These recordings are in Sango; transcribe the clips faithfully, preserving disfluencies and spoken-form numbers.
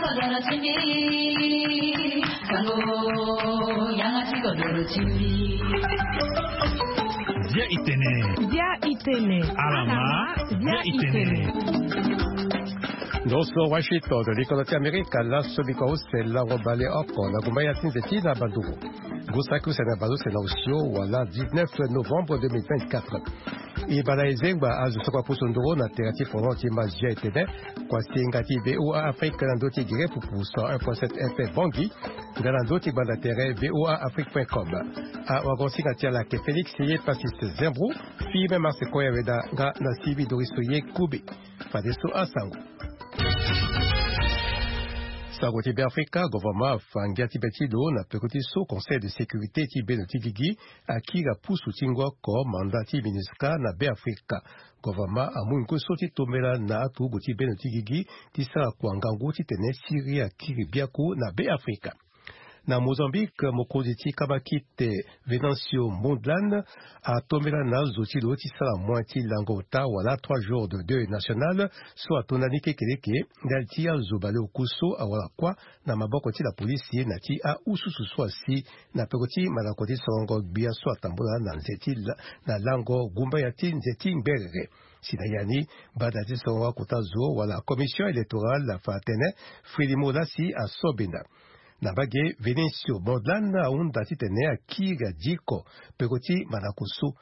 Dia itene. Dia itene. Alama. Dia itene. Nyonso Washington, likolo ti Amerika, laso biko use lango bale oko na gumba ya ti nze ti na banduru. Ngu saki use na bale use na osio wala dix-neuf novembre deux mille vingt-quatre. E bala e zengba azo soko apusu nduru na tere ti folon ti Mazia etene, kuasinga ti V O A Afrique na ndö ti gere pupu cent un point sept F M Bangui, nga na ndö ti gbanda tere V O A Afrique point com. Awagosinga ti ala ayeke Félix Ye Passis Zembro, Firmin Marsecoya Weda nga na Sylvie Doriso Ye Koube. Fadeso asango. Sango ti Beafrika, gouvernement afa ngia ti be ti lo na peko ti so Conseil de sécurité ti beno ti gigi akiri apusu ti ngu oko mandat ti MINUSCA na Beafrika. Gouvernement amu ngu so ti tombela na aturugu ti beno ti gigi ti sara kua ngangu titene Syrie akiri biaku na Beafrika. Na Mozambique, mokonzi ti kabakite Venancio Mondlane atombela na azo ti lo ti sara moin ti lango ota wala trois jours de deuil national so atonda ni kekeleke ndali ti azo baleoku so awara kuâ na maboko ti lapolisi na ti aususu so asi na peko ti malako ti sorongo gbia so atambola na nze ti la-, na lango gumbaya ti nze ti ngberere. Si na ya ni, bada ti sorongo akota zo wala commission électorale afa atene Frelimo lasi asobenda. Na mbage, Venancio Mondlane ahunda titene akiri adiko peko ti malako so.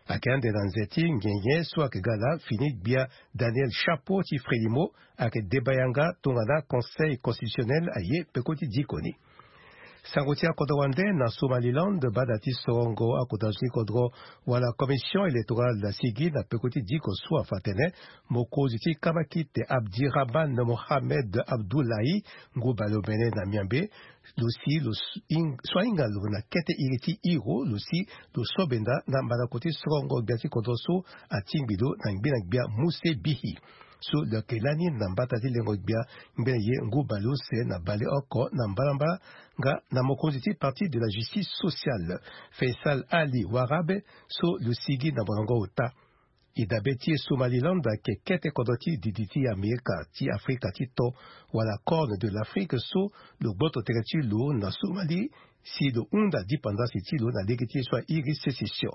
Ayeke ande na nze ti nyenye so ayeke ga laa fini gbia Daniel Chapo ti Frelimo ayeke deba yanga tongana Conseil constitutionnel aye peko ti diko ni. Sango ti akodro wande na Somaliland, bada ti sorongo akodro ti kodro wala commission électorale asigi na peko ti diko so afa atene mokonzi ti kabakite Abdirahman Mohamed Abdullahi, ngu baleomene na miambe, lo si lo s-, ing-, so ahinga lo na kete iri ti hiro, lo si lo sobenda na malako ti sorongo gbia ti kodro so atingbi lo na ngbene gbia Muse Bihi. So lo yeke lani na mbata ti lengo gbia ngbene ye ngu baleuse na baleoko na mbalambala nga na mokonzi ti Parti de la Justice Sociale, Faisal Ali Warabe, so lo sigi na molongo ota. E dabe ti e Somaliland ayeke kete kodro ti didi ti Amerika ti Afrika ti to wala Corne de l'Afrique so lo gboto tere ti lo na Somali si lo hunda dipandasi ti lo na lege ti e so airi sécession.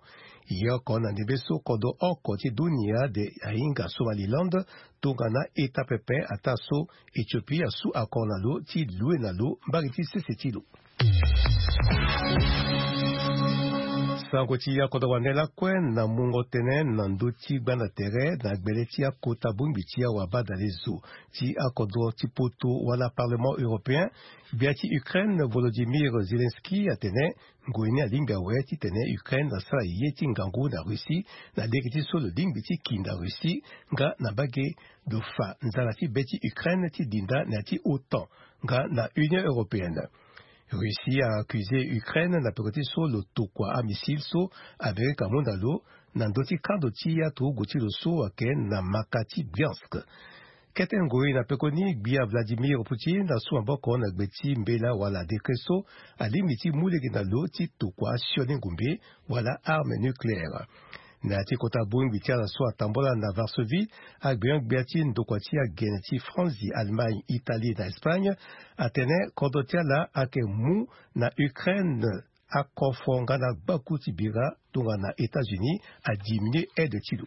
E ye oko na ndembe so kodro oko ti dunia de ahinga Somaliland tongana État pepe ataa so Éthiopie asu accord na lo ti lue na lo mbage ti sese ti lo. Sango ti akodro wande lakue na mungo tënë na ndö ti gbanda tere na gbele ti akota bongbi ti awabadale zo ti akodro ti poto wala Parlement européen. Gbia ti Ukraine Volodymyr Zelensky atene ngoi ni alingbi awe titene Ukraine asara ye ti ngangu na Russie na lege ti so lo lingbi ti kinda Russie nga na mbage lo fa nzara ti be ti Ukraine ti dinda na ya ti OTAN nga na Union européenne. Russie a accusé Ukraine na peko ti so lo tokua amissile so Amerika amu na lo na ndö ti kando ti aturugu ti lo so ayeke na maka ti Bryansk. Kete ngoi na pekoni, gbia Vladimir Poutine asu maboko na gbe ti mbela wala décret so alingbi ti mu lege na lo ti tokua asioni ngumbe wala arme nucléaire. Na ya ti kota bongbi ti ala so atambola na Varsovie, agbenyo-gbia ti ndokua ti agene ti Franzi, Allemagne, Italie na Espagne atene kodro ti ala ayeke mu na Ukraine akofo nga na gbaku ti bira tongana États-Unis adiminué aide ti lo.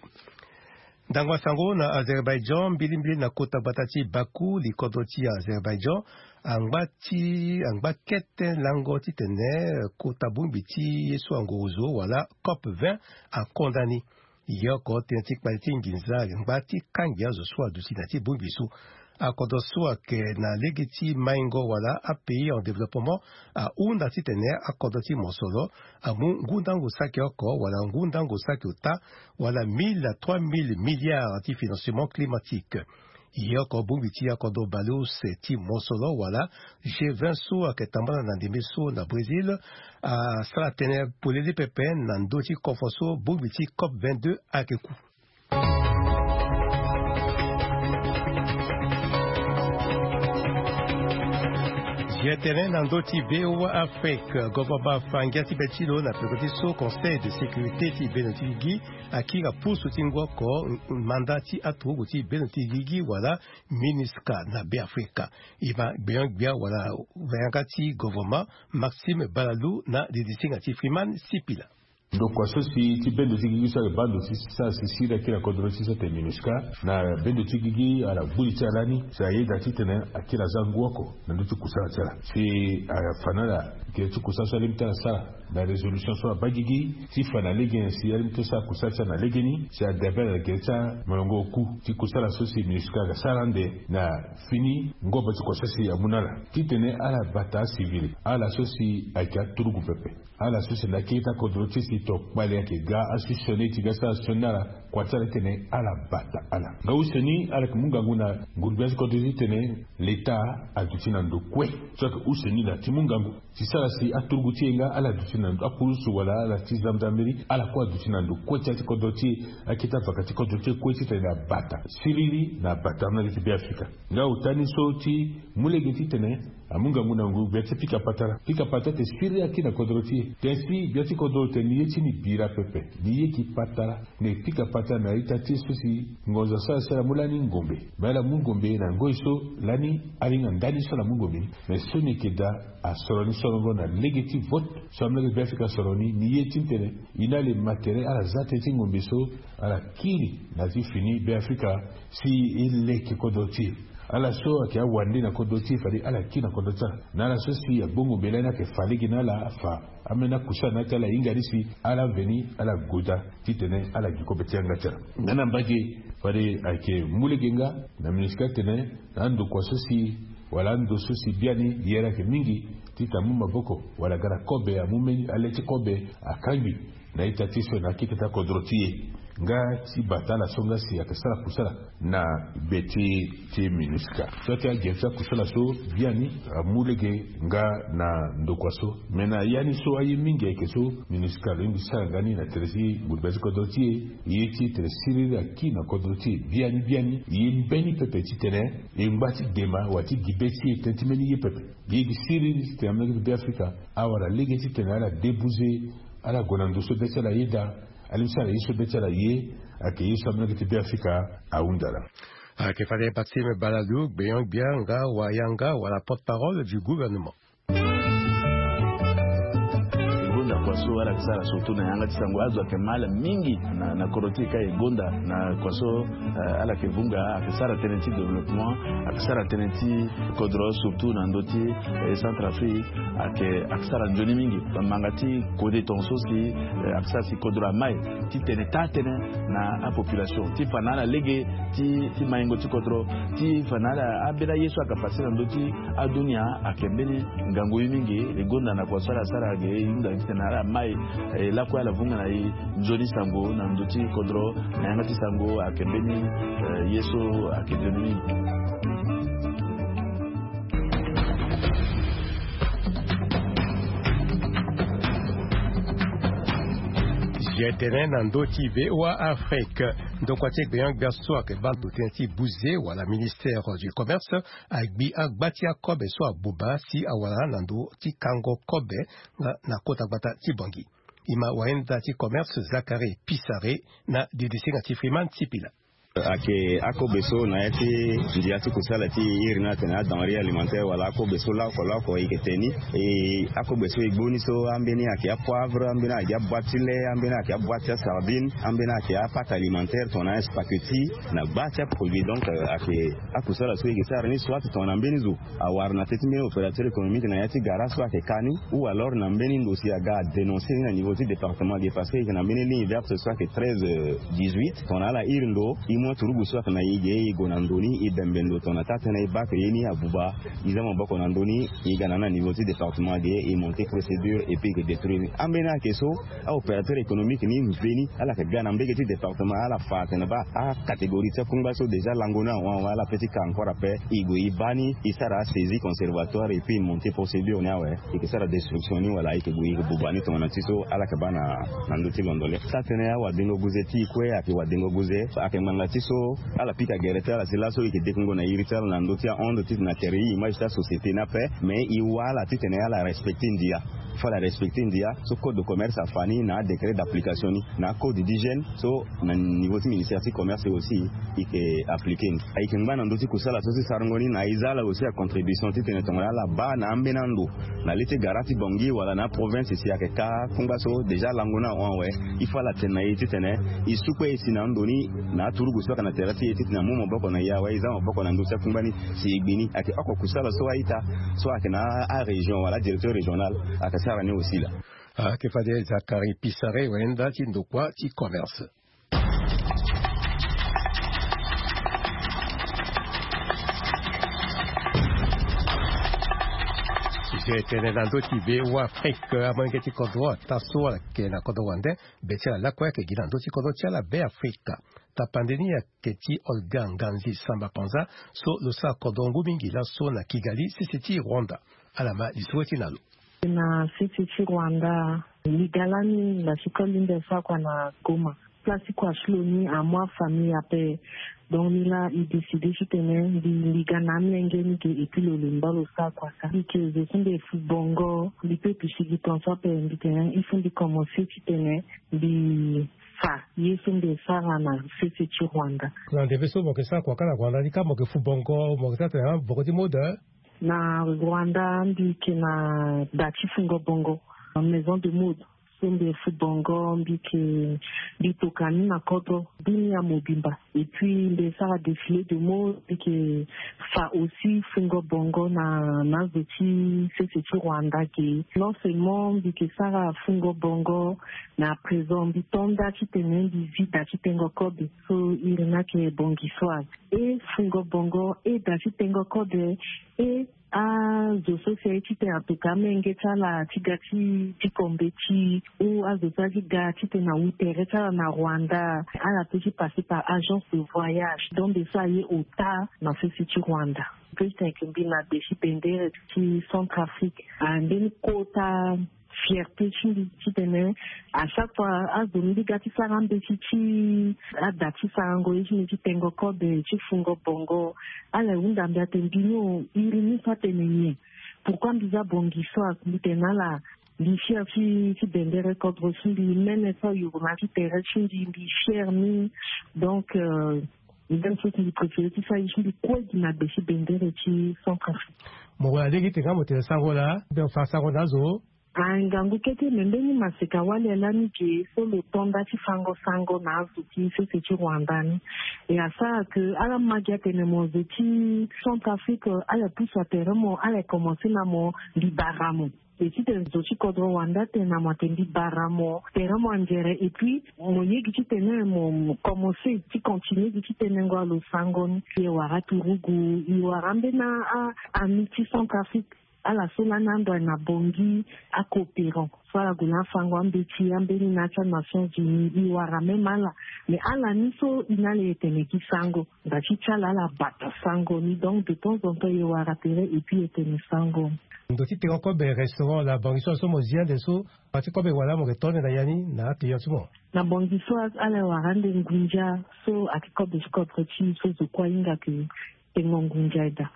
Ndango asango na Azerbaïdjan, mbilimbili na kota gbata ti Bakou, likodro ti Azerbaïdjan angba ti, angba kete lango titene kota bongbi ti ye so angorozo wala COP vingt akonda ni. Ye oko tënë ti kpali ti nginza angba ti kangi azo so aduti na ya ti bongbi so. Akodro so ayeke na lege ti maingo wala apays en développement ahunda titene akodro ti mosoro amu ngu ndango saki oko wala ngu ndango saki ota wala mille à trois mille milliards ti financement climatique. Ye oko bongbi ti akodro baleuse ti mosoro wala G vingt so ayeke tambala na ndembe so na Brésil asara tënë polele pepe na ndö ti kofo so bongbi ti COP vingt-deux ayeke ku. Ye tene na ndö ti VOA Afrique, governement afa ngia ti be ti lo na peko ti so Conseil de sécurité ti bendo ti gigi akiri na pusu ti ngu oko manda ti aturugu ti bendo ti gigi wala MINUSCA na Beafrika. E ma gbenyo-gbia wala yanga ti governement Maxime Balalou na didisinga ti Freeman Sipila. Ndokua so si ti bendo ti gigi so ayeke baa ndo ti sara si siriri akiri na kodro ti so atene MINUSCA na bendo ti gigi ala gbu li ti ala lani si ayeda titene akiri aza ngu oko na ndö ti kusala ti ala si afa na ala gere ti kusala so alingbi ti ala sara na résolution so abaa gigi ti fa na lege ni si alingbi ti sara kusala ti ala na legeni si adabere na gere ti amolongo oku ti kusala so si MINUSCA aga sara ande na fini ngobo ti kua so si amu na ala titene ala bata acivil ala so si ayeke aturugu pepe. Ala so si na akiri ti akodro ti e si tokpale ayeke ga asioni ti ga sara sioni na ala. Kua ti ala ti tene ala bata ala nga osioni ala yeke mu ngangu na nguru-gbia ti kodro ti e ti tene leta aduti na ndo kue so ayeke osioni na ti mu ngangu ti sara si aturugu ti e nga ala duti na ndo apurusu wala ala ti gendarmerie ala kue aduti na ndo kue ti ya ti kodro ti e. Akiri ti avaka ti kodro ti e kue titene abata siriri na abata na lege ti Beafrika. Nga ota ni so ti mu lege titene amu ngangu na ngu gbia ti pika patara pika patara te siriri akiri na kodro ti e. Te si gbia ti kodro tene ni ye ti ni bira pepe ni ye ki patara. Me pika patara na ita ti e so si ngonzo asara si ala mu lani ngombe. Me ala mu ngombe na ngoi so lani alinga ndani so ala mu ngombe ni. Me so ni yeke daa asoro ni sorongo na lege ti vote so amolenge Beafrika asoro ni ni ye ti tene. Ina le matere ala za tënë ti ngombe so ala kiri na ti fini Beafrika si e leke kodro ti e. Ala so ayeke awande na kodro ti e fade ala kiri na kodro ti ala na ala so si agbo ngombe lani ayeke fa lege na ala afa. Ambeni akusala na ya ti ala ahinga ni si ala veni ala goda titene ala gi kobe ti yanga ti ala. Nga na mbage fade ayeke mu lege nga na MINUSCA atene na andokua so si wala ando so si biani yere ayeke mingi titene amu maboko wala aga na kobe amu mbeni ale ti kobe akangbi na ita ti so na akeke ti akodro ti e. Nga ti bata ala so nga si ayeke sara kusala na gbe ti ti MINUSCA so ti agere ti akusala so biani amu lege nga na ndokua so. Me na ya ni so aye mingi ayeke so MINUSCA alingbi ti sara nga ni na tere ti gurugba ti kodro ti e. Ye ti tene siriri aki na kodro ti e biani biani ye mbeni pepe titene e ngba ti dema wala ti gi be ti e tënë ti mbeni ye pepe. Ye gi siriri titene amolenge ti Beafrika awara lege titene ala debuze ala gue na ndo so be ti ala yeda. Alingbi ti ala ye so be ti ala ye ayeke ye so amolenge ti Beafrika ahunda ala. Ayeke fade Maxime Balalou gbenyo-gbia nga wayanga wala porte-parole du gouvernement. Gonda kua so ala yeke sara surtout na yanga ti sango azo ayeke mal mingi na, na kodro ti e ka e gonda na kua so. Eh, ala yeke vunga ayeke sara tënë ti développement ayeke sara tënë ti kodro surtout na ndö ti eh, Centrafrique ayeke ayeke sara nzoni mingi. Bamanga ti kode tongaso si eh, ayeke sara si kodro amai titene taa tënë na apopulation ti fa na ala lege ti ti maingo ti kodro ti fa na ala ambeni aye so ayeke fa si na ndö ti adunia ayeke mbeni ngangu ye mingi. E gonda na kua so ala sara ayeke e hunda titene ala mai eh, lakue ala vunga na e nzoni sango na ndö ti kodro na yanga ti sango ayeke mbeni eh, ye so ayeke nzoni mingi. Zia tene na ndö ti VOA Afrique ndokua ti gbenyo-gbia so ayeke baa ndo tënë ti buze wala ministère du commerce agbi agba ti akobe so abuba si awara na ndö ti kango kobe nga na kota gbata ti Bangui. E ma wayenda ti commerce Zacharie Pissaré na didisinga ti Freeman Sipila. Ayeke akobe so na ya ti ndia ti kusala ti iri ni atene adenrée alimentaire wala akobe so laoko laoko e yeke tene ni. E akobe so e gbu ni so ambeni ayeke apoivre, ambeni ayeke aboite ti lait, ambeni ayeke aboite ti asardine, ambeni ayeke apâte alimentaire tongana aspaghetti na gba ti aproduit. Donc euh, ayeke akusala so e yeke sara ni soit tongana mbeni zo awara na tënë ti mbeni opérateur économique na ya ti gara so ayeke ka ni ou alors na mbeni ndo si aga adénoncer ni na niveau ti département ge parce que e yeke na mbeni ligne verte so ayeke treize dix-huit. Tongana ala iri ndo e mu aturugu so ayeke na e ge e gue na ndo ni e bembe ndo tongana taa tënë e baa ke ye ni abuba. E za maboko na ndö ni e ga na ni na niveau ti département ge e monter procédure et puis e yeke détruire ni. Ambeni ayeke so aopérateur économique ni mveni ala yeke ga na mbege ti département ala fa atene baa acatégorie ti akungba so déjà lango ni awe awe ala pe ti ka encore ape. E gue e baa ni e sara asaisie conservatoire et puis e monter procédure ni awe. E yeke sara destruction ni wala e yeke gue e yeke buba ni tongana ti so ala yeke baa na ndö ti londo le. Taa tënë awadengo guze ti e kue ayeke wadengo guze ayeke ngbanga Ti so ala pika gere ti ala si laso e yeke dekungo na iri ti ala na ndö ti ahonde titene atere e image ti asociété ni ape. Mais e wara ala titene ala respecte ndia. Fo ala respecte ndia so code de commerce afa ni na adécret d'application ni na acode d'hygiène so na niveau ti ministère ti commerce aussi e yeke appliqué ni. Ayeke ngba na ndö ti kusala so ti sarango ni na e za ala aussi acontribution titene tongana ala baa na ambeni ando na le ti gara ti bongi wala na aprovince si ayeke ka kungba so déjà lango ni ahon awe. Il faut ala tene na e titene e su kue e si na ando ni na aturugu so ayeke na tere ti e titene amu maboko na e awe e za maboko na ndö ti akungba ni si e gbi ni. Ayeke oko kusala so a-ita so ayeke na arégion wala adirecteur régional ayeke sara ni aussi laa. Ayeke fade Zacharie Pissaré wayenda ti ndokua ti commerce. Sujet tene na ndö ti Be Afrique, amolenge ti kodro ataa so ala yeke na kodro wande. Be ti ala lakue ayeke gi na ndö ti kodro ti ala Be Afrique. Tapande ni ayeke ti Olga Nganzi Samba Panza so lo sara kodro ngu mingi laso na Kigali, sese ti Rwanda. Ala ma lisoro ti na lo. Na sese ti Rwanda, liga lani na sikoli nde so akua na Goma. Place ti kua ti lo ni amu afamille ape. Donc ni laa e décide titene mbi liga na amolenge ni ge et puis lo lemba lo sara kua sara. Mbi ke zo so mbi fu bongo, mbi pe pisi gi tonso ape, mbi tene il faut mbi commencer titene mbi fa ye so mbi sara na sese ti Rwanda. Na ndembe so mo ke sara kua kâ na Rwanda ni ka mo ke fu bongo, mo ke sara tene ah bongo ti mode? Na Rwanda mbi ke na da ti fungo bongo, maison de mode. So mbi fu bongo, mbi ke, mbi toka ni na kodro dunia mobimba. Et puis mbi sara défilé de mode, mbi ke fa aussi fungo bongo na, na zo ti sese ti Rwanda ge. Non seulement mbi ke sara fungo bongo, mais à présent mbi to nda titene mbi zi da ti tengo kobe. So iri ni ayeke bongi so awe. E fungo bongo, e da ti tengo kobe, e azo so si aye titene atoka amenge ti ala ti ga ti, ti kombeti, ou azo so aye ti ga titene awu tere ti ala na Rwanda, ala peut ti passer par agence de voyage. Donc nde so aye ota na sese ti Rwanda. Peut ti tene ayeke mbi na be ti bendere ti Centrafrique. Ah, mbeni kota fierté ti mbi titene à chaque fois azo mbi ga ti sara ambeti ti ada ti sarango ye ti mbi ti tengo kobe ti fungo bongo. Ala hunda mbi atene mbi ni o, iri ni so atene nyen? Pourquoi mbi za bongi so awe? Mbi tene na ala mbi fier ti, ti bendere kodro ti mbi, mene so ayuru na ti tere ti mbi, mbi fier ni. Donc euh, même chose mbi préféré ti sara ye ti mbi kue gi na be ti bendere ti Centrafrique. Mo wara lege ti tene nga mo tene sango laa, mbi fa sango na azo. Ah, ngangu kete me mbeni maseka wali lani ge so lo to nda ti fango sango na azo ti sese ti Rwanda ni. E asara ke ala ma gi atene mo zo ti Centrafrique, ala pusu atere mo, ala commencer na mo mbi bara mo. E titene zo ti kodro Rwanda atene na mo atene mbi bara mo, tere mo anzere, et puis mo ye gi titene mo, mo commencer ti continuer gi ti tenengo alo sango ni. E wara turugu, e wara ambeni a, ami ti Centrafrique. Ala so lani ando aye na Bangui, acoopérant so ala gue na afango ambeti ambeni na ya ti aNations Unies, e wara même ala. Mais ala ni so e na ala e tene gi sango, nda ti ti ala ala bata sango ni. Donc de temps en temps e wara tere et puis e tene sango. Ndo ti tengo kobe restaurant la Bangui so, so mo zi ande so, pa ti kobe wala mo yeke to ande na ya ni na aclient ti mo? Na Bangui so ala e wara ande ngunza so ayeke kobe ti kodro ti e so zo kue ahinga ke tengo ngunza daa.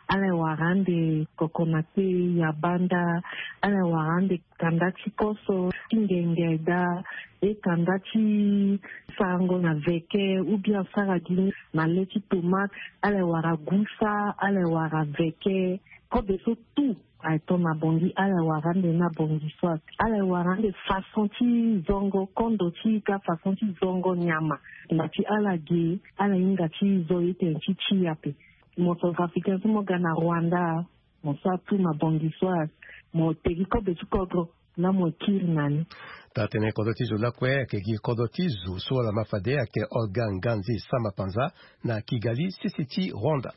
Ala e wara ande kokonate, yabanda, ala e wara ande kanda ti koso ti ngenge daa, e kanda ti sarango na veke ou bien sara gi na le ti tomate, ala e wara gusa, ala e wara veke, kobe so tout. Aye to na Bangui, ala e wara ande na Bangui so awe. Ala e wara ande façon ti zongo kondo ti ika, façon ti zongo nyama. Nda ti ala ge, ala hinga ti zo ye tene ti ti ape. Mo Centrafricain so mo ga na Rwanda, mo sara tout na Bangui so awe. Mo te gi kobe ti kodro, na mo kiri na ni. Taa tënë kodro ti zo lakue ayeke gi kodro ti zo so ala ma fade ayeke Olga Nganzi Samba Panza na Kigali, sese ti Rwanda.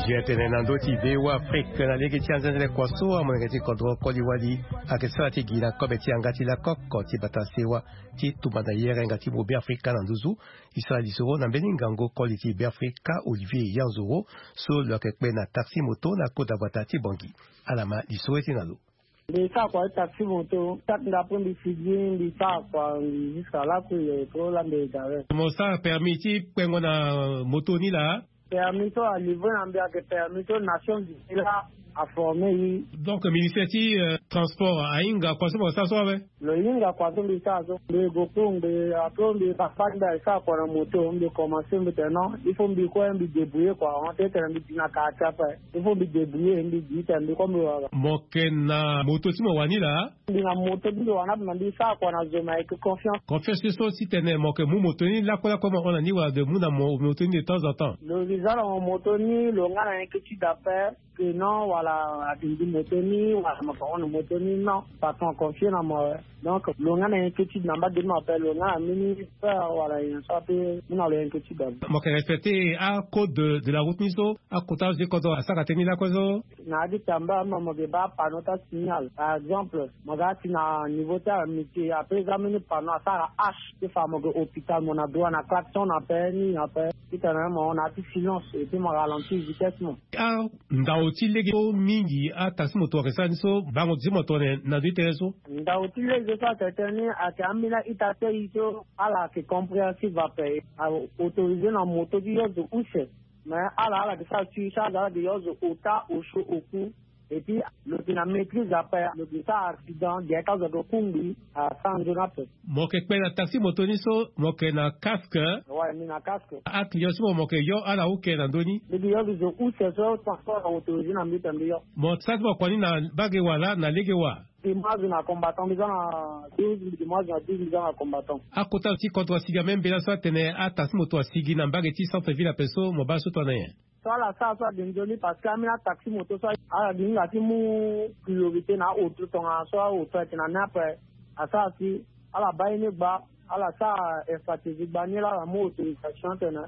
Ye tene na ndö ti V O A Afrique na lege ti anzenzele kua so amolenge ti kodro koli wali ayeke sara ti gi na kobe ti yanga ti lakoko ti bata sewa ti tumba na yere nga ti mo Beafrika na nduzu. E sara lisoro na mbeni ngangu koli ti Beafrika Olivier Yanzoro so lo yeke kpe na taxi moto na kota gbata ti Bangui. Ala ma lisoro ye ti na lo. Mbi sara kua ti taxi moto, quatre heures après mbi fidji, mbi sara kua, mbi jusqu'à laku ye po la mbi gare. Mo sara permis ti kpengo na moto ni laa? Permis so alivre na mbi ayeke permis so Nations Unies la aforme ye. Donc ministère ti euh, transport ahinga kua so mo sara so awe? Lo hinga kua so mbi sara so, mbi go kungbi, après mbi papa mbi asara kua na moto, mbi commence mbi tene non, il faut mbi kue mbi débrouiller kua, on tene mbi di na quartier ape. Il faut mbi débrouiller, mbi di tene mbi kue mbi wara. Mo yeke na moto ti mo wani laa? Mbi na moto ti mbi wani ape, na mbi sara kua na zo, me ayeke confiance. Confiance so titene mo yeke mu moto ni lakue lakue mo hon na ni wala de mu na mo moto ni de temps en temps? Lo zi za na mo moto ni, lo nga na inquiétude ape. Que non, wala, adindi moto ni wala mo yeke hon na moto ni, non, patron aconfie na mo awe. Donc lo nga na inquiétude na mbage ni ape, lo nga na mbeni peur wala nyen so ape mu na lo inquiétude ape. Mo yeke respecter acode de la route ni so akota azo ti kodro asara tënë ni lakue so? Na ya ti tamba mo, mo yeke baa panneau ti asignal. Par exemple, mo ga ti na niveau ti amitié, après eza mbeni panneau asara H ti fa mo yeke hôpital, mo na droit na klaxon ape, ni ape. Titene mo na ya ti silence et puis mo ralentir vitesse mo. Andao ti lege so mingi ataxi moto ayeke sara ni so bango ti mo tongana na ndö ti tere so? Ndao ti lege so ayeke tene ni ayeke ambeni a-ita ti aye so ala yeke compréhensive ape. Aautorisé na moto ti yo zo use. Mais ala ala yeke sara surcharge, ala yeke yo zo ota osio oku. Et puis lo yeke na maîtrise ape, lo yeke sara accident, gere ti azo ayeke kungbi, asara nzoni ape. Mo yeke kpe na taxi moto ni so mo yeke na casque? Ouais, mbi na casque. Aclient so mo mo yeke yo ala uke na ndö ni? Mbi yeke yo zo use so transport na autorité na mbi tene mbi yo. Mo sara ti mo kua ni na mbage wala na lege wa? Mbi mu azo na combattant, mbi za na douze, mbi mu azo na douze, mbi za na combattant. Akota ti kodro asigi na même mbela so atene ataxi moto asigi na mbage ti centre ville ape so mo baa so tongana nyen? So ala sara so ade nzoni parce que ambeni ataxi moto so ala gi hinga ti mu priorité na aoto tongana so aoto ayeke na ni ape. Asara si ala baa ye ni gba, ala sara infratégie gba ni laa ala mu autorisation tene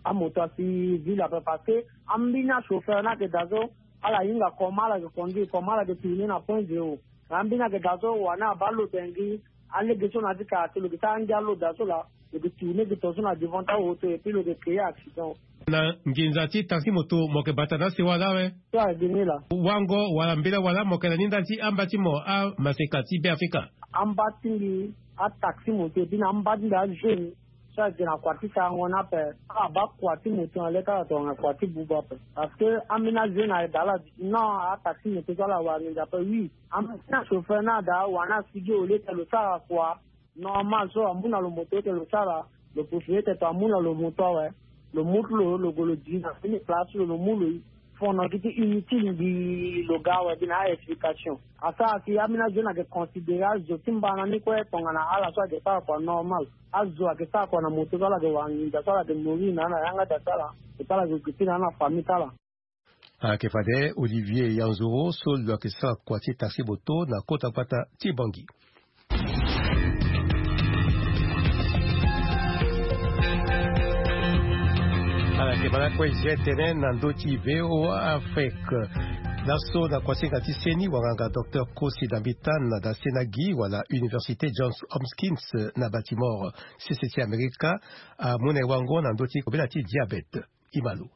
amoto asi ville ape parce que ambeni achauffeur ni ayeke daa so ala hinga comment ala yeke conduire, comment ala yeke tourner na point zéro. Mais ambeni ayeke daa so wani abaa lo tene gi alege so na ya ti kara ti lo yeke sara angia lo daa so laa. Lo yeke tourner gi tongaso na devant ti aoto et puis lo yeke créer accident. Na nginza ti taxi moto mo yeke bata na asewa laa awe? So ayeke gi ni laa. Wango wala mbela wala mo yeke na ni ndali ti amba ti mo amaseka ti Beafrika? Amba ti mbi ataxi moto et puis na amba ti mbi ajeune so ayeke na kua ti sarango ni ape. Ala baa kua ti moto na le ti ala tongana kua ti buba ape. Parce que ambeni ajeune ayeke daa ala di non, ataxi moto so ala wara nginza ape oui. Ambeni achauffeur ni ada wani asigi au lieu ti lo sara kua normal so amu na lo moto ti lo sara, lo profite ti amu na lo moto awe. Lo mu ti lo, lo gue lo di na mbeni place ti lo, lo mu lo fono gi ti inutile mbi lo ga awe gi na a-explication. Asara si ambeni azo ni ayeke considérer azo ti mbana ni kue tongana ala so ayeke sara kua normal. Azo ayeke sara kua na moto so ala yeke wara nginza so ala yeke mourir na ala na yanga daa ti ala. Et puis ala yeke gue ti na ala na famille ti ala. Ayeke fade Olivier Yanzoro so lo yeke sara kua ti taxi moto na kota gbata ti Bangui. Ala yeke ma lakue ye tene na ndö ti V O A Afrique. Laso na kuasinga ti seni wanganga docteur Kosi Dambita na Dasenagi wala Université Johns Hopkins na Baltimore, sese ti Amerika, amu na e wango na ndö ti kobela ti diabète. Imalo.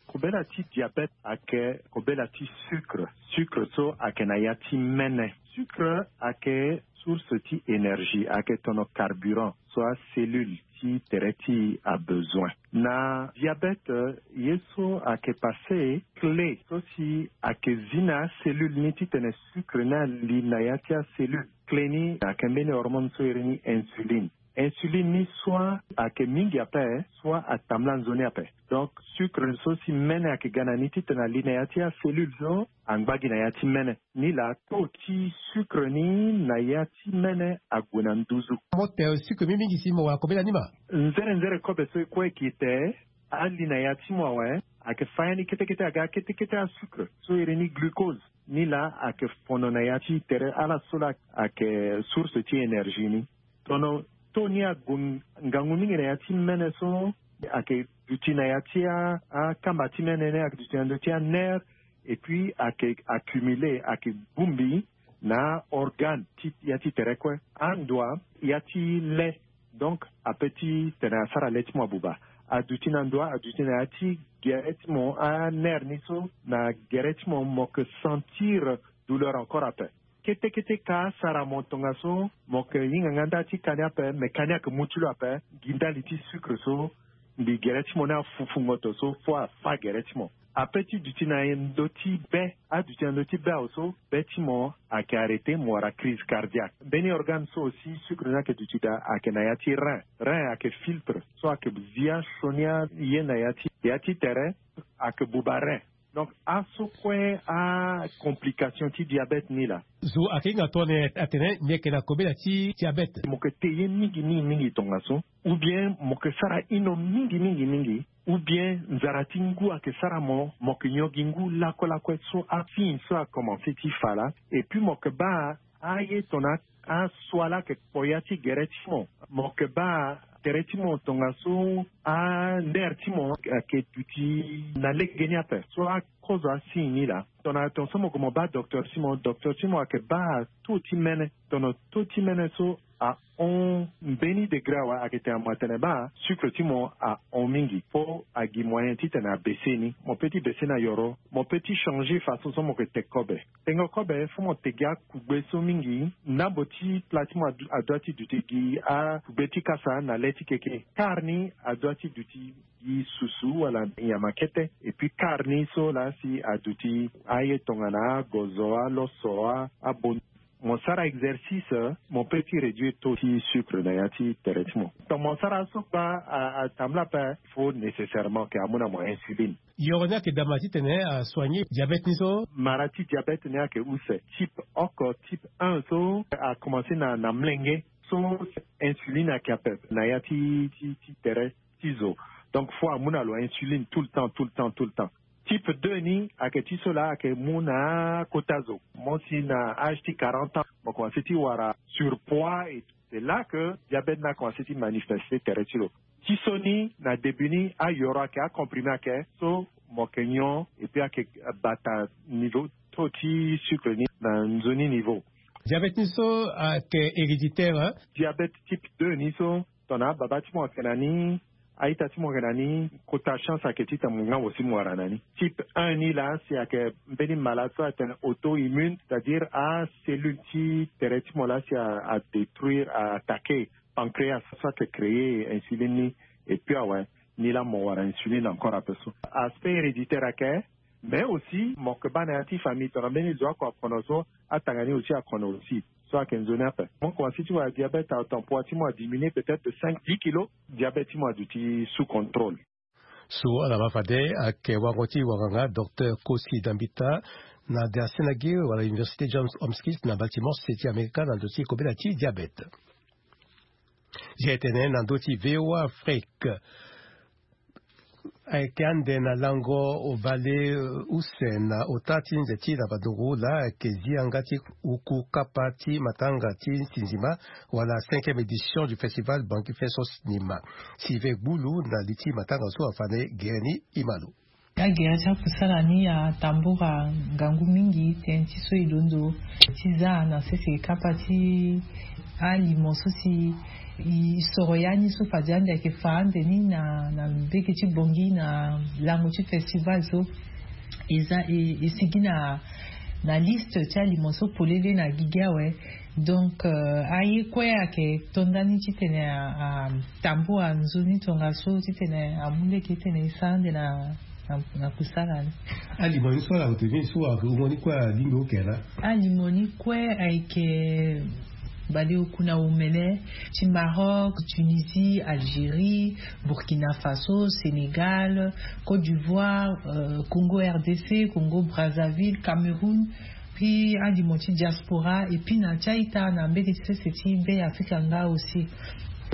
Kobela ti diabète ayeke kobela ti sucre. Sucre so ayeke na ya ti mene. Sucre ayeke source ti énergie, ayeke tono carburant so acellule ti tere ti abesoin. Na diabète, ye so ayeke passe, clé so si ayeke zi na acellule ni titene sucre ni ali na ya ti acellule. Clé ni ayeke mbeni hormone so iri ni insuline. Insuline ni soit ayeke mingi ape, soit atambula nzoni ape. Donc sucre so si mene ayeke ga na ni titene ali na ya ti acellule so angba gi na ya ti mene. Ni laa taux ti sucre ni na ya ti mene ague na nduzu. Mo te sucre mingi mingi si mo wara kobela ni ma? Nzere nzere kobe so e kue e ke te ali na ya ti mo awe. Ayeke fa ya ni kete kete aga kete kete asucre so iri ni glucose. Ni laa ayeke fono na ya ti tere ala so laa ayeke source ti énergie ni. Tono taux ni ague ngangu mingi na ya ti mene so ayeke Duti na ya ti akamba ti mene ni ayeke duti na ndö ti anere. Et puis ayeke accumulé, ayeke bongbi na aorgane ti ya ti tere kue. Andoa ya ti le. Donc ape ti tene asara le ti mo abuba. Aduti na ndoa, aduti na ya ti gere ti mo, anere ni so na gere ti mo, mo yeke sentir douleur encore ape. Kete kete ka asara mo tongaso mo yeke hinga nga nda ti ka ni ape, me ka ni ayeke mu ti lo ape. Gi ndali ti sucre so mbi gere ti mo ni afufu ngoto so fo afa gere ti mo. Ape ti duti na ndö ti be, aduti na ndö ti be awe so be ti mo ayeke arrêté, mo wara crise cardiaque. Mbeni organe so aussi sucre ni ayeke duti daa ayeke na ya ti rein. Rein ayeke filtre so ayeke zi asioni aye na ya ti, ya ti tere, ayeke buba rein. Donc aso kue acomplication ti diabète ni laa. Zo ayeke hinga tongana atene mbi yeke na kobela ti diabète. Mo yeke te ye mingi mingi mingi tongaso, ou bien mo yeke sara ino mingi mingi mingi, ou bien nzara ti ngu ayeke sara mo, mo yeke nyon gi ngu lakue lakue. So asigne so akomanse ti fa laa. Et puis mo yeke baa aye tongana asua laa ayeke kpo ya ti gere ti mo. Mo yeke baa tere ti mo tongaso andere ti mo ayeke duti na lege ni ape. So akozo asigne ni laa, tongana tongaso mo gue mo baa docteur ti mo, docteur ti mo ayeke baa taux ti mene. Tongana taux ti mene so ahon mbeni degré awe, ayeke tene mo atene baa sucre ti mo ahon mingi. Fo agi moyen titene abaisse ni. Mo peut ti baisse ni na yoro. Mo peut ti changer façon so mo yeke te kobe. Tengo kobe, fo mo te gi akugbe so mingi. Ndambo ti plat ti mo adu- adua ti duti gi akugbe ti kasa na le ti keke. Quart ni adua ti duti gi susu wala nyama kete. Et puis quart ni so laa si aduti aye tongana agozo, aloso, a- abon- Mo sara exercice, mo peut ti réduire taux ti sucre na ya ti tere ti mo. Tongana mo sara so kpa a- atambula ape, fo nécessairement ke amu na mo insuline. Yoro ni ayeke dama titene asoigner diabète ni so. Mara ti diabète ni ayeke use. Type oko, type un so akomanse na, na mlenge. So insuline ayeke ape na ya ti, ti, ti tere ti zo. Donc fo amu na lo insuline tout le temps, tout le temps, tout le temps. Type deux ni ayeke ti so laa ayeke mu na akota zo. Mo si na âge ti quarante ans, mo komanse ti wara surpoids et tout. C'est là que diabète ni akomanse ti manifester tere ti lo. Ti so ni na début ni ayoro ayeke, acomprimé ayeke, so mo yeke nyon et puis ayeke bata niveau taux ti sucre ni na nzoni niveau. Diabète ni so ayeke héréditaire, hein? Diabète type deux ni so, tongana ababa ti mo ayeke na ni, a-ita ti mo ayeke na ni, kota chance ayeke titene mo ngangu si mo wara na ni. Type un ni laa si ayeke mbeni malade so atene auto-immune, c'est-à-dire acellule ti tere ti mo laa si a- adétruire, a- attaquer pancréas so ayeke créer insuline ni. Et puis awe, ni laa mo wara insuline encore ape so. Aspect héréditaire ayeke, mais aussi mo yeke baa na ya ti famille, tongana mbeni zo oko akono so, atanga ni aussi akono aussi. So ayeke nzoni ape. Mo komanse ti wara diabète à temps, poids ti mo adiminué peut-être de cinq, dix kilos. Diabète ti mo aduti sous contrôle. So ala ma fade ayeke wango ti wanganga docteur Kosi Dambita na dersi na ge wala Université Johns Hopkins na Baltimore, state ti Amerika, na ndö ti kobela ti diabète. Ye tene na ndö ti V O A Afrique. Ayeke ande na lango vale, euh, use na ota ti nze ti na bandungu laa ayeke zi yanga ti uku kapa ti matanga ti sinzima wala cinquième édition du festival Bangui Fest au cinéma. Sylvain Gbulu na li ti matanga so afa na e gere ni, e ma lo. Agere ti akusala ni atambula ngangu mingi tënë ti so e londo ti za na sese kapa ti alimo so si e soro ya ni so fade ande ayeke fa ande ni na, na mbege ti Bangui na lango ti festival so e za e, e sigi na, na liste ti alimo so polele na gigi awe. Donc, euh, aye kue ayeke to ndani titene a, atambula nzoni tongaso titene amu lege titene e sara ande na, na, na kusala ni. Alimo ni so ala ute ni so ayeke umo ni kue alingbi oke na? Alimo ni kue ayeke baleoku na omene ti Maroc, Tunisie, Algérie, Burkina Faso, Sénégal, Côte d'Ivoire, euh, Congo R D C, Congo Brazzaville, Cameroun, puis alimo ti diaspora, et puis na ti a-ita na mbege ti sese ti Be Afrika nga aussi.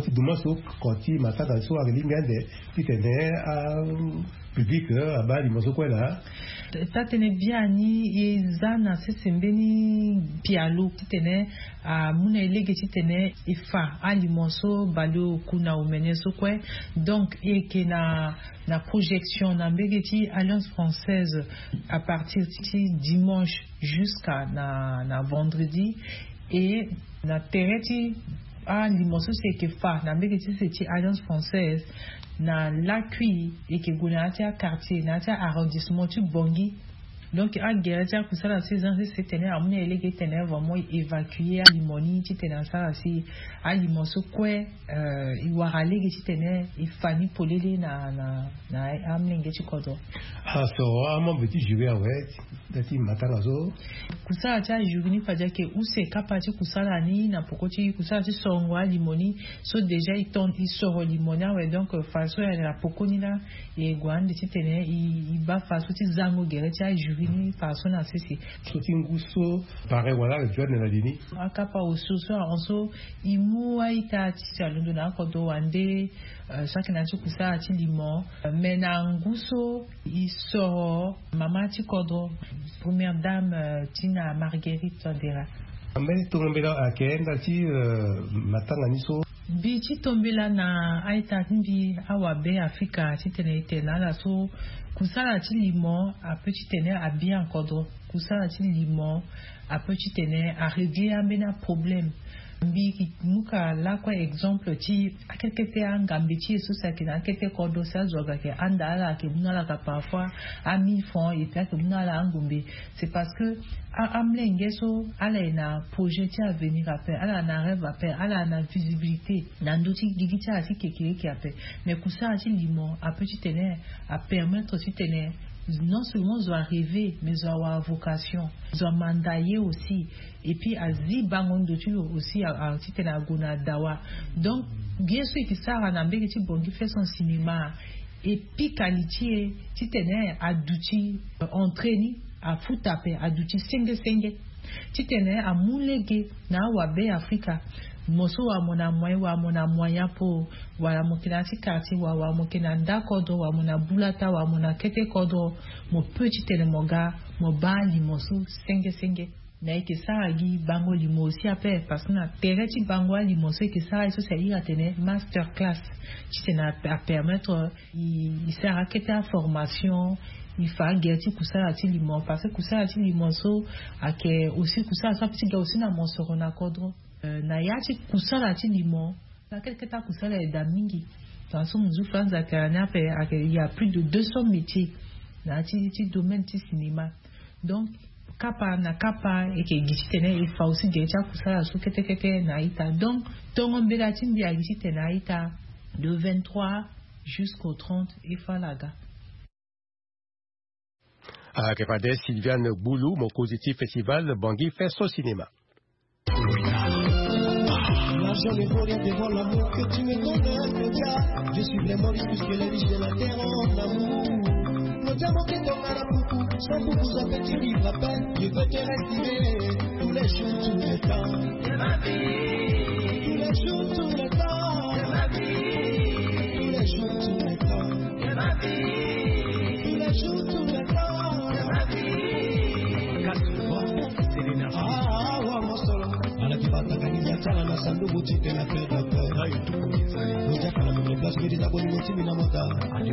Ti duma so, koti matanga so ayeke lingbi ande titene apublic abaa limo so kue laa. Taa-tënë biani e za na sese mbeni pialo titene amu na e lege titene e fa alimo so baleoku na omene so kue. Donc e yeke na na projection na mbege ti Alliance Française à partir ti dimanche jusqu'à na na vendredi. Et na tere ti alimo so si e yeke fa na mbege ti sese ti Alliance Française, na lakui e yeke gue na ya ti aquartier, na ya ti arrondissement ti Bangui. Donc agere ti akusala so e za sese titene amu na e lege titene vraiment e évacuer alimo ni titene asara si alimo so kue e wara lege titene e fa ni polele na na na amolenge ti kodro. Ah, so amembre ti jury awe. Nda ti matanga so. Kusala ti ajury ni fade ayeke use kapa ti kusala ni na poko ti kusala ti sorongo alimo ni. So déjà e ton e soro limo ni awe, donc faso ya na poko ni laa e gue ande titene e baa faso ti zango gere ti ajury ni faso na sese. So ti ngu so pare wala ayeke joindre na li ni. Akapa osio so ahon so e mu a-ita ti si alondo na akodro wande. So ayeke na ya ti kusala ti limo. Me na ngu so e soro mama ti kodro, première dame ti na Marguerite Touadéra. Ambeni tongo mbela ayeke nda ti matanga ni so. Mbi ti tombela na a-ita ti mbi awabe afrika titene e tene na ala so kusala ti limo ape titene abia na kodro. Kusala ti limo ape titene arégler ambeni aproblème. Mbi yeke mu ka lakue exemple ti akete kete angambe ti e so si ayeke na akete kodro si azo aga ayeke handa ala ayeke mu na ala ka parfois a mille francs et puis ayeke mu na ala angombe. C'est parce que amolenge so ala ye na projet ti avenir ape, ala na rêve ape, ala na visibilité na ndö ti gigi ti ala ti kekereke ape. Mais kusala ti limo ape titene apermettre titene non seulement zo arêver mais zo awara vocation, zo amanda ye aussi. Et puis azi bango ndo ti lo aussi titene ague na dawa. Donc ye so e ke sara na mbege ti Bangui fait son cinéma. E pika li ti e titene aduti entrée ni, afuta ape aduti senge senge titene amu lege na awabe afrika. Mo so wala mo na moyen wala mo na moyen apo, wala mo yeke na ya ti quartier wala wala mo yeke na nda kodro wala mo na bulata wala mo na kete kodro, mo peut titene mo ga mo baa limo so senge senge. Na e yeke sara gi bango limo aussi ape parce que na tere ti bango alimo so e yeke sara ye so si a iri atene master class titene apermettre e sara akete aformation. E fa agere ti kusala ti limo parce que kusala ti limo so ayeke aussi kusala so ape ti ga aussi na mosoro na kodro. Na ya ti kusala ti limo na kete kete akusala e daa mingi. Tongana so mo zu franza ayeke na ni ape ayeke il y a plus de deux cents métiers na ya ti ti domaine ti cinéma. Donc kapa na kapa e yeke gi titene e fa aussi gere ti akusala so kete kete na a-ita. Donc tongo mbela ti mbi agi titene a-ita de vingt-trois jusqu'au trente e fa ala ga. Ayeke fade Sylviane Gboulou, mokonzi ti festival Bangui fait son cinéma. L'argent ne vaut rien devant l'amour que tu me donnes, Claudia. Je suis vraiment riche puisque les riches de la terre ont l'amour. Claudia, mon cœur tombe à la coucou, sans coucou, ça fait tu vivre à peine. Je veux te respirer tous les jours, tous les temps. De ma vie. Tous les jours, tous les temps. De ma vie. Tous les jours, tous les temps. De ma vie. Tous les jours, tous les temps. De ma vie. Casse le vent, c'est l'énergie. Ah, ah, ah, mon solo. Ala ti bataka ni ya ti ala na sanduku ti tene pere na pere. Lo diaka na mene place mbi ti za bolingo ti mbi na mota. Lo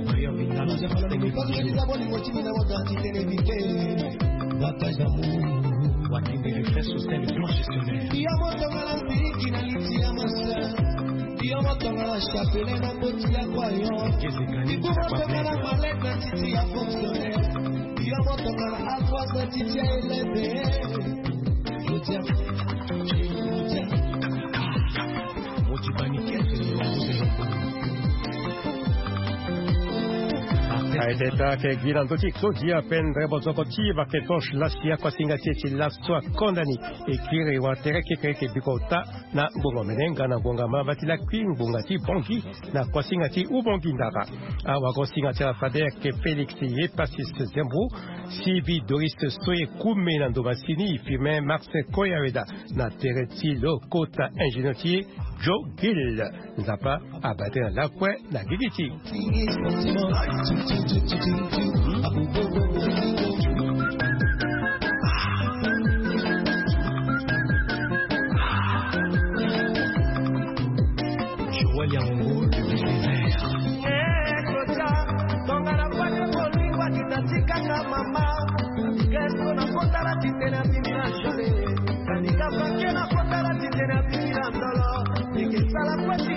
diaka na mene place mbi ti za bolingo ti mbi na mota ti tene vite. Bataille d'amour. Watinde refrain social et blanchissonnaire. Yo mo tongana mpiki na liti ya ma sœur. Yo mo tongana chapelet na mboti ya kwayon. Yo mo tongana malette na titi ya fonctionnaire. Yo mo tongana ardoise na titi ya élève. Aye teta ayeke gi na ndö ti Claudia Pendre bozoko ti Vaketos Lasia, kuasinga ti e ti laso akonda ni. E kiri wa tere kekereke bikota na ngbonga mene nga na ngbonga mamba ti lakui ngbonga ti Bangui na kuasinga ti Ubangui ndara. Awagosinga ti ala fade ayeke Félix Epasis Zembo, Sylvie Doris Soye Koume na ndo masini, Firmin Marcel Koyaweda na tere ti lo kota ingénieur ti e. Joe Gill. Nzapa abate na lakue na gigi ti. Joël Yango, le désert. Tonga na pake bolingo akita tikanga mama. Kesko na kotala titene abimi na jole. Kanika pake na kotala titene abimi na ndolo. Nikesala kwesi